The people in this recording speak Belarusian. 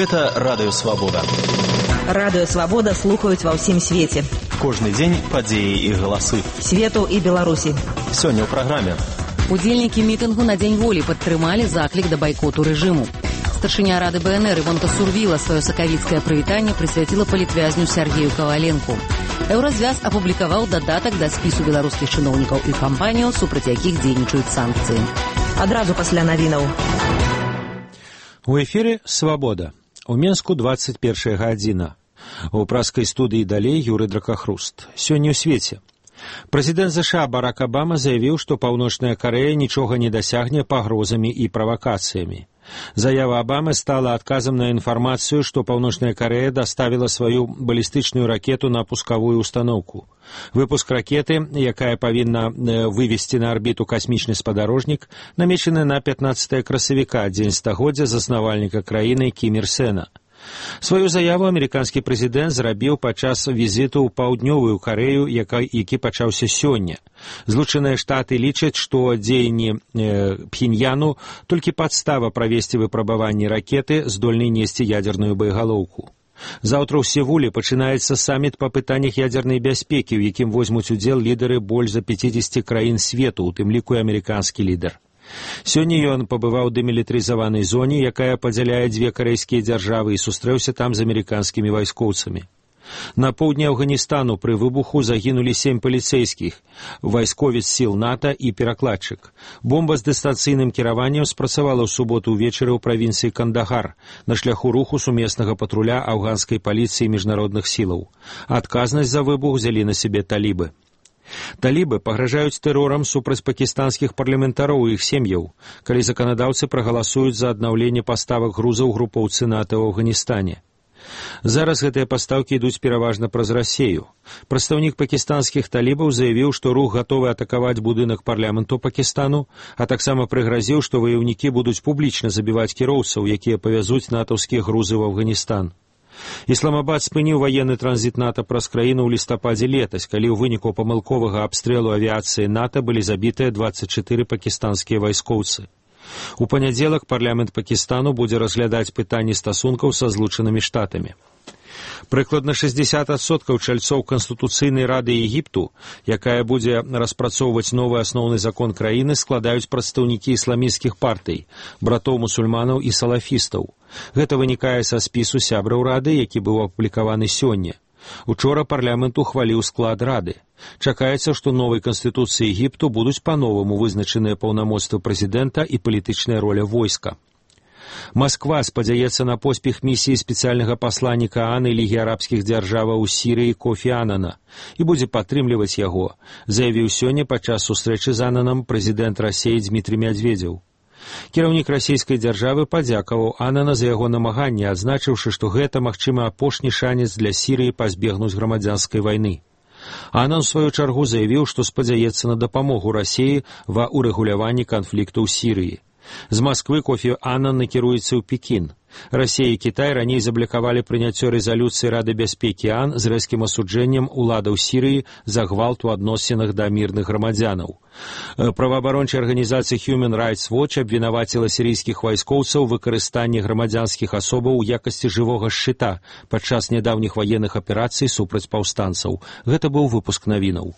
Гэта Радыё Свабода. Радыё Свабода слухаюць ва ўсім свеце. Кожны дзень падзеі і галасы. Свету і Беларусі. Сёння ў праграме. Удзельнікі мітынгу на Дзень волі падтрымалі заклік да байкоту рэжыму. Старшыня Рады БНР Івонка Сурвіла сваё сакавіцкае прывітанне прысвяціла палітвязню Сергею Каваленку. Еўразвяз апублікаваў дадатак да спісу беларускіх чыноўнікаў і кампаніяў, супраць якіх дзейнічаюць санкцыі. Адразу пасля навінаў. У эфіры «Свабода». У Менску 21 гадзіна. У праскай студыі далей Юрый Дракахруст. Сёння ў свеце. Прэзідэнт ЗША Барак Абама заявіў, што Паўночная Карэя нічога не дасягне пагрозамі і правакацыямі. Заява Абамы стала адказам на інфармацыю, што Паўночная Карэя даставіла сваю балістычную ракету на пускавую устаноўку. Выпуск ракеты, якая павінна вывесці на арбіту касмічны спадарожнік, намечаны на 15 красавіка, дзень стагоддзя заснавальніка краіны Кім Ір Сена. Сваю заяву амерыканскі прэзідэнт зрабіў падчас візіту ў паўднёвую Карэю, які пачаўся сёння. Злучаныя Штаты лічаць, што дзеянні Пхеньяну толькі падстава правесці выпрабаванні ракеты, здольнай несці ядзерную боегалоўку. Заўтра ў Сеуле пачынаецца саміт па пытаннях ядзернай бяспекі, у якім возьмуць удзел лідары больш за 50 краін свету, у тым ліку і амерыканскі лідар. Сёння ён пабываў у дэмілітарызаванай зоне, якая падзяляе дзве карэйскія дзяржавы, і сустрэўся там з амерыканскімі вайскоўцамі. На поўдні Афганістану пры выбуху загінулі 7 паліцэйскіх, вайсковец сіл НАТО і перакладчык. Бомба з дыстанцыйным кіраваннем спрацавала ў суботу ўвечары ў правінцыі Кандагар на шляху руху сумеснага патруля афганскай паліцыі і міжнародных сілаў. Адказнасць за выбух узялі на сябе талібы. Талібы пагражаюць тэрорам супраць пакістанскіх парламентароў і іх сем'яў, калі заканадаўцы прагаласуюць за аднаўленне паставак грузаў групоўцы НАТО ў Афганістане. Зараз гэтыя пастаўкі ідуць пераважна праз Расею. Прадстаўнік пакістанскіх талібаў заявіў, што рух гатовы атакаваць будынак парламенту Пакістану, а таксама прыгразіў, што ваяўнікі будуць публічна забіваць кіроўцаў, якія павязуць натаўскія грузы ў Афганістан. Ісламабад спыніў ваенны транзіт НАТО праз краіну ў лістападзе летась, калі ў выніку памылковага абстрэлу авіяцыі НАТО былі забітыя 24 пакістанскія вайскоўцы. У панядзелак парламент Пакістану будзе разглядаць пытанні стасункаў са Злучанымі Штатамі. Прыкладна 60% чальцоў Канстытуцыйнай рады Егіпту, якая будзе распрацоўваць новы асноўны закон краіны, складаюць прадстаўнікі ісламісцкіх партый, братоў-мусульманаў і салафістаў. Гэта вынікае са спісу сябраў рады, які быў апублікаваны сёння. Учора парламент ухваліў склад рады. Чакаецца, што новай Канстытуцыі Егіпту будуць па-новаму вызначаныя паўнамоцтвы прэзідэнта і палітычная роля войска. Масква спадзяецца на поспех місіі спецыяльнага пасланніка АН і Лігі арабскіх дзяржаваў у Сірыі Кофі Анана і будзе падтрымліваць яго, заявіў сёння падчас сустрэчы з Ананам прэзідэнт Расеі Дмітрый Мядзведзеў. Кіраўнік расійскай дзяржавы падзякаваў Анана за яго намаганне, адзначыўшы, што гэта, магчыма, апошні шанец для Сірыі пазбегнуць грамадзянскай вайны. Анан, у сваю чаргу, заявіў, што спадзяецца на дапамогу Расеі ва ўрэгуляванні канфлікту ў Сірыі. З Масквы Кофі Анан накіруецца ў Пекін. Расія і Кітай раней заблакавалі прыняццё рэзалюцыі Рады бяспекі АН з рэзкім асуджэннем уладаў Сірыі за гвалт у адносінах да мірных грамадзянаў. Праваабарончая арганізацыя Human Rights Watch абвінаваціла сірыйскіх вайскоўцаў у выкарыстанні грамадзянскіх асобаў у якасці жывога шчыта падчас нядаўніх ваенных аперацый супраць паўстанцаў. Гэта быў выпуск навінаў.